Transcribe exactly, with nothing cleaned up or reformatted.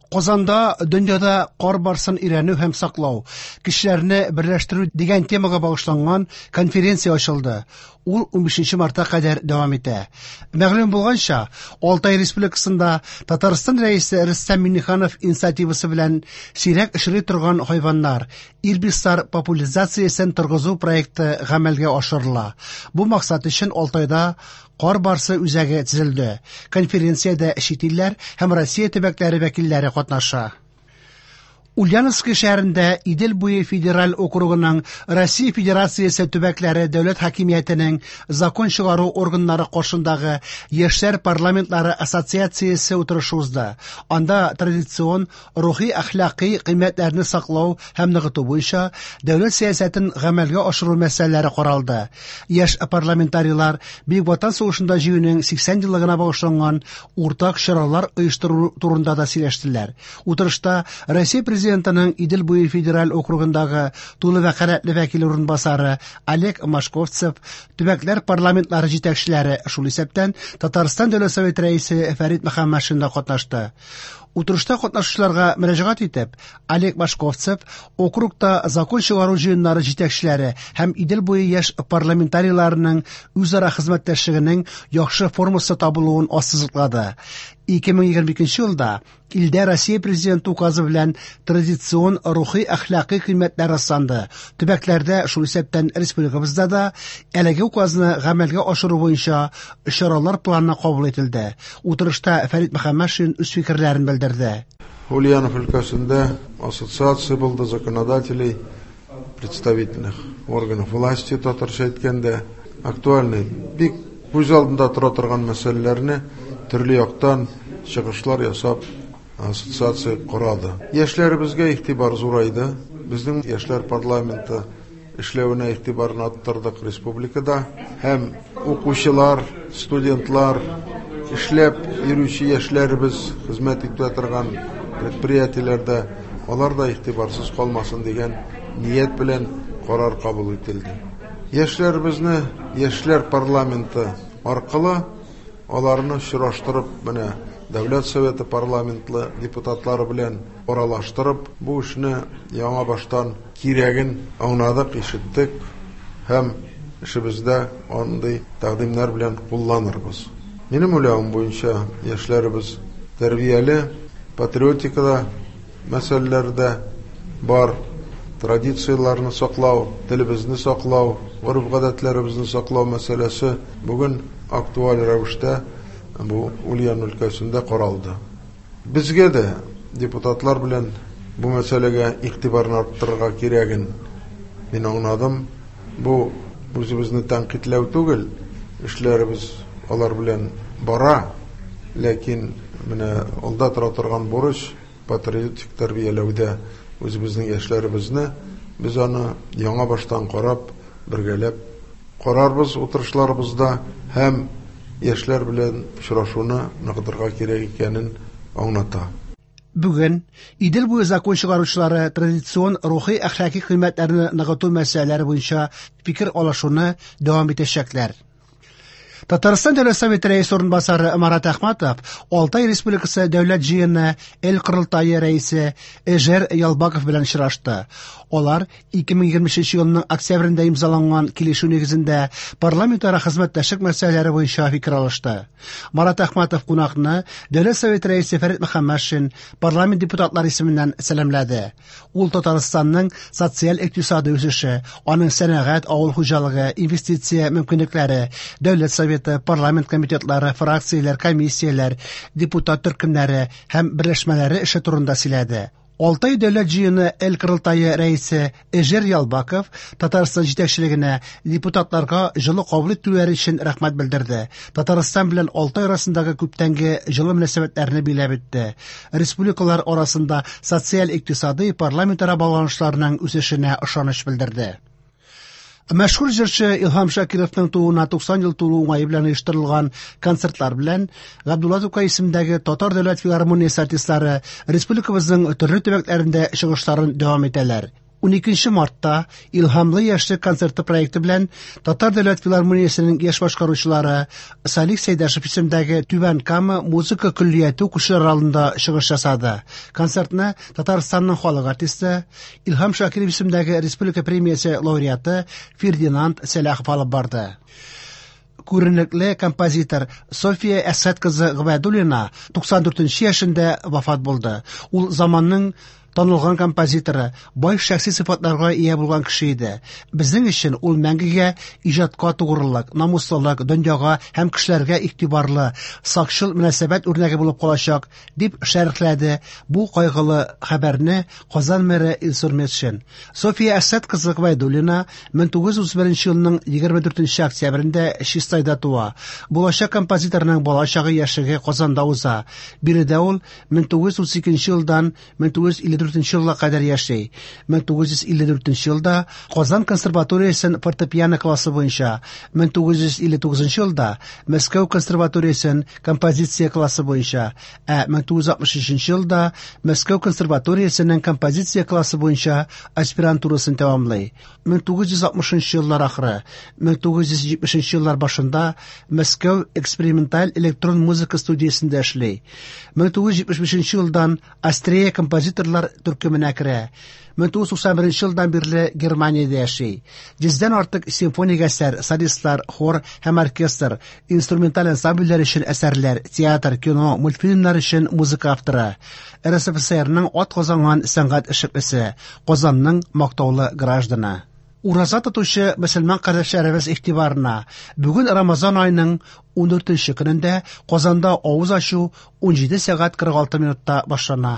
Казанда дөньяда кар барсын өйрәнү һәм саклау, кешеләрне берләштерү дигән темага багышланган конференция ачылды. Ул унбишенче мартка кадәр дәвам итә. Мәгълүм булганча, Алтай Республикасында Татарстан Рәисе Рөстәм Миңнеханов инициативасы белән сирәк очрый торган хайваннар, ирбислар популяциясен торгызу проекты гамәлгә ашырыла. Бу максат өчен Алтайда кар барсы үзәге төзелде. Конференциядә чит илләр һәм Россия төбәкләре вәкилләре катнаша. Ульяновск шәһәрендә Идел буе федераль округының Россия Федерациясе төбәкләре дәүләт хакимиятенең закон чыгару органнары каршындагы Яшьләр парламентлары ассоциациясе утырышы узды. Анда традицион рухи-әхлакый кыйммәтләрне саклау һәм ныгыту буенча дәүләт сәясәтен гамәлгә ашыру мәсьәләләре каралды. Яшь парламентарийлар Бөек Ватан сугышында җиңүнең сиксән еллыгына багышланган уртак чаралар оештыру турында да сөйләштеләр. Утырышта Россия Президентының Идел буе федераль округындагы тулы вәкаләтле вәкил урынбасары Олег Машковцев, төбәкләр парламентлары җитәкчеләре, шул исәптән Татарстан Дәүләт Советы рәисе Фәрит Мөхәммәтшин да катнашты. Утырышта катнашучыларга мөрәҗәгать итеп, Олег Машковцев округта закон чыгару җыеннары җитәкчеләре һәм Идел буе яшь парламентарийларының үзара хезмәттәшлегенең яхшы формасы табылуын ассызыклады. ике мең егерме икенче елда илдә Россия Президенты указы белән традицион рухи-әхлакый кыйммәтләр расланды. Төбәкләрдә, шул исәптән республикабызда да, әлеге указны гамәлгә ашыру буенча чаралар планы кабул ителде. Утырышта Фәрит Мөхәммәтшин үз фикерләрен белдерде. Ульянов өлкәсендә ассоциация булды законодателей, представительных органов власти, татарча әйткәндә, актуальный, бик күз алдында тора торган мәсьәләләрне төрле яктан чыгышлар ясап ассоциация корады. Яшьләребезгә игътибар зурайды. Безнең яшьләр парламенты эшләвенә игътибарны арттырдык республикада. Һәм укучылар, студентлар, эшләп йөрүче яшьләребез хезмәт итә торган предприятиеләрдә алар да игътибарсыз калмасын дигән ният белән карар кабул ителде. Яшьләребезне яшьләр парламенты аркылы аларны очраштырып, менә Дәүләт Советы парламентлы депутатлары белән аралаштырып, бу эшне яңа баштан кирәген аңладык, ишеттек һәм эшебездә андый тәкъдимнәр белән кулланырбыз. Минем уйлавым буенча, яшьләребез тәрбияле, патриотикада мәсьәләләрдә бар, традицияләрне саклау, телебезне саклау, гореф-гадәтләребезне саклау мәсьәләсе бүген актуаль рәвештә бу Ульян өлкәсендә каралды. Безгә дә депутатлар белән бу мәсьәләгә игътибарны арттырырга кирәген мин аңладым. Бу үзебезне тәнкыйтьләү түгел, эшләребез алар белән бара, ләкин менә алда тора торган бурыч патриотик тәрбияләүдә үзебезнең яшьләребезне без аны яңа баштан карап, бергәләп карарбыз утырышларыбызда һәм яшьләр белән очрашуны ныгытырга кирәк икәнен аңлата. Бүген Идел буе закон чыгаручылары традицион рухи-әхлакый кыйммәтләрне ныгыту мәсьәләләре буенча фикер алышуны дәвам итәчәкләр. Татарстан Дәүләт Советы рәисе урынбасары Марат Әхмәтов Алтай Республикасы Дәүләт җыены Эл Корылтае рәисе Эжер Ялбаков белән очрашты. Алар ике мең егерме өченче елның октябрендә имзаланган килешү нигезендә парламентара хезмәттәшлек мәсьәләләре буенча фикер алышты. Марат Әхмәтов кунакны Дәүләт Советы рәисе Фәрит Мөхәммәтшин парламент депутатлары исеменнән сәламләде. Ул Татарстанның социаль-икътисади үсеше, аның сәнәгать, авыл хуҗалыгы, инвестиция мөмкинлекләре, Дәүләт Советы, парламент комитетлары, фракцияләр, комиссияләр, депутат төркемнәре һәм берләшмәләре эше турында сөйләде. Алтай Дәүләт җыены Эл Корылтае рәисе Эжер Ялбаков Татарстан җитәкчелегенә депутатларга җылы кабул итүләре өчен рәхмәт белдерде. Татарстан белән Алтай арасындагы күптәнге җылы мөнәсәбәтләрне биләп үтте. Республикалар арасында социаль-икътисади парламентара багланышларның үсешенә ышаныч белдерде. Мәшһүр җырчы Илһам Шакировның тууына туксан ел тулу уңае белән оештырылган концертлар белән Габдулла Тукай исемендәге Татар дәүләт филармониясе артистлары республикабызның төрле төбәкләрендә чыгышларын дәвам итәләр. Уникенче мартта Илһамлы яшьлек концерты проекты белән Татар дәүләт филармониясенең яшь башкаручылары Салих Сәйдәшев исемендәге Түбән Кама музыка көллияте укучылары алдында чыгыш ясады. Концертны Татарстанның халык артисты, Илһам Шакиров исемендәге республика премиясе лауреаты Фердинанд Сәлахов алып барды. Күренекле композитор София Әсәт кызы Гобәйдуллина туксан дүртенче яшендә вафат булды. Ул заманның танылган композиторы, бай шәхси сыйфатларга ия булган кеше иде. Безнең өчен ул мәңгегә иҗатка тугрылык, намуслылык, дөньяга һәм кешеләргә игътибарлы, сакчыл мөнәсәбәт үрнәге булып калачак, дип шәрехләде бу кайгылы хәбәрне Казан мэры Илсур Метшин. София Әсәт кызы Гобәйдуллина мең тугыз йөз утыз беренче елның егерме дүртенче октябрендә Чистайда туа. Булачак композиторның бала чагы яшьлеге Казанда уза. Биредә ул мең тугыз йөз утыз икенче елдан мең тугыз йөз илле дүртенче елга кадәр яши. Мең тугыз йөз илле дүртенче елда Казан консерваториясен фортепиано классы буенча, мең тугыз йөз илле тугызынчы елда Мәскәү консерваториясен композиция классы буенча, ә мең тугыз йөз алтмыш өченче елда Мәскәү консерваториясенең композиция классы буенча аспирантурасын тәмамлый. Мең тугыз йөз алтмышынчы еллар ахыры, мең тугыз йөз җитмешенче еллар башында Мәскәү эксперименталь электрон музыка студиясендә эшли. Мең тугыз йөз җитмеш бишенче елдан Астрея композиторлар төркеменә керә. Мең тугыз йөз туксан беренче елдан бирле Германиядә яши. Йөздән артык симфоник әсәр, солистлар, хор һәм оркестр, инструменталь ансамбльләр өчен әсәрләр, театр, кино, мультфильмнар өчен музыка авторы. Эр Эс Эф Эс Эрның ат казанган сәнгать эшлеклесе, Казанның мактаулы гражданы. Ураза тотучы мөселман кардәшләребез игътибарына. Бүген Рамазан аеның ундүртенче көнендә Казанда авыз ачу унҗиде сәгать кырык алты минутта башлана.